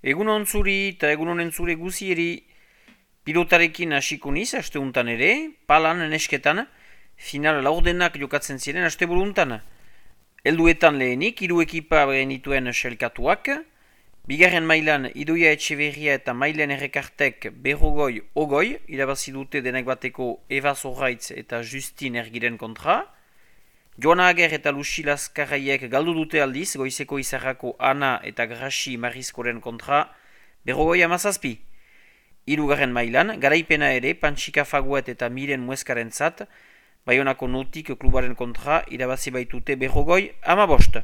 Egun ontzuri eta egun honen zure guzieri pilotarekin hasiko niz, aste untan ere, palan nesketan, final laurdenak jokatzen ziren aste buruntan. Helduetan lehenik, hiru ekipa genituen selkatuak, bigarren mailan Idoia Etxeberria eta Mailen Errekartek berrogoi ogoi, irabazi dute denek bateko Eva Zorraitz eta Justin Ergiren kontra. Joana Ager eta Lucy Laskarraiek galdu dute aldiz, goizeko izarrako Ana eta Graxi Marizkoren kontra, berrogoi amazazpi. Hirugarren mailan, garaipena ere, Pantsika Faguet eta Miren Mueskaren zat, Baionako Notik klubaren kontra, irabazi baitute berrogoi amabost.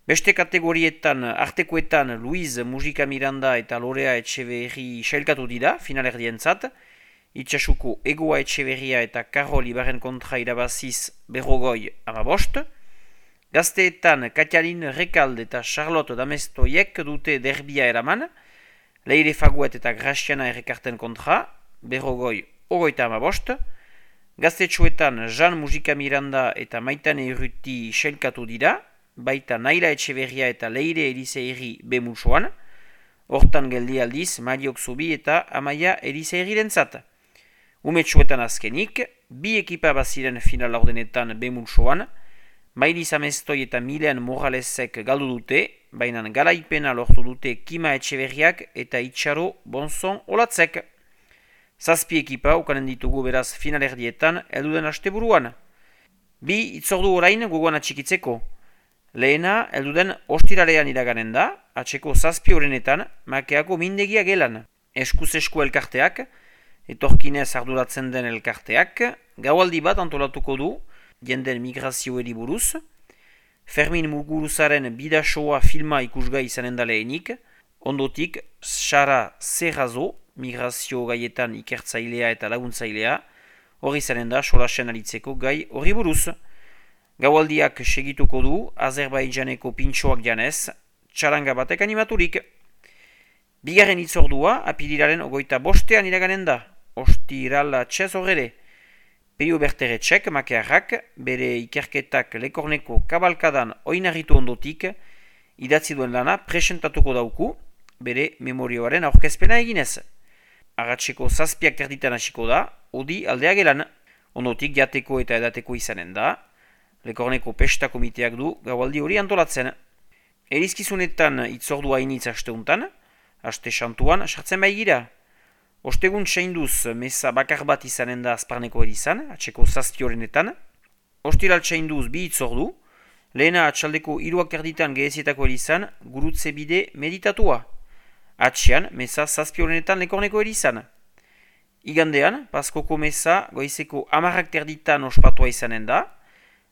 Beste kategorietan, artekoetan, Luiz Mujika Miranda eta Lorea Etxeberri sailkatu dira, finalerdien zat, Itxasuko Egoa Etxeberria eta Karol Ibaren kontra irabaziz berrogoi amabost. Gazteetan Katialin Rekalde eta Charlotte Damestoiek dute derbia eraman. Leire Faguet eta Graciana Errekarten kontra, berrogoi ogoita amabost. Gaztetxoetan Jean Mujika Miranda eta Maitane Urruti sailkatu dira, baita Naila Etxeberria eta Leire Eliseiri bemulsoan. Hortan geldi aldiz Mariok Zubi eta Amaia Eliseiriren zat. Umetxoetan azkenik, bi ekipa baziren final laurdenetan bemulsoan, Mailiz Amestoi eta Milen Moralesek galdu dute, baina garaipena lortu dute Kima Etxeberriak eta Itxaro Bonzon Olatzek. Zazpi ekipa ukanen ditugu beraz finalerdietan elduden asteburuan. Bi itzordu orain gogoan atxikitzeko. Lehena, elduden ostiralean iraganen da, atseko zazpi horrenetan, makeako mindegia gelan. Eskuz-esku elkarteak, etorkinez arduratzen den elkarteak, gaualdi bat antolatuko du, jenden migrazioeri buruz, Fermin Muguruzaren bidasoa filma ikusgai izanen da lehenik, ondotik Sara Serrazo, migrazio gaietan ikertzailea eta laguntzailea, hori izanen da solasen alitzeko gai hori buruz. Gaualdiak segituko du, Azerbaijaneko pintxoak janez, txaranga batek animaturik. Bigarren itzordua, apirilaren 25 iraganen da. Ostirala txez horre. Peio Berteretxek, makearrak, bere ikerketak Lekorneko kabalkadan oinarritu ondotik, idatzi duen lana presentatuko dauku, bere memorioaren aurkezpena eginez. Arratseko zazpiak terditan hasiko da, odi aldea gelan. Ondotik jateko eta edateko izanen da. Lekorneko pesta komiteak du gaualdi hori antolatzen. Erizkizunetan itzordua hainitz asteuntan, aste santuan sartzen baigira. Ostegun txainduz meza bakar bat izanen da azparneko erizan, atseko zazpi horrenetan. Ostiral txainduz bi itzordu, lehena atxaldeko 3:00 gehezietako erizan, gurutze bide meditatua. Atxean, meza zazpi horrenetan Lekorneko erizan. Igandean, paskoko meza goizeko 10:00 ospatua izanen da,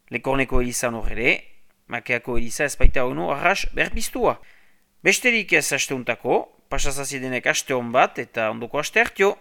Lekorneko erizan horre, makeako eriza ezpaita hono arras berpiztua. Besterik ez asteuntako, pasazazidenek aste hon bat eta ondoko aste hartio.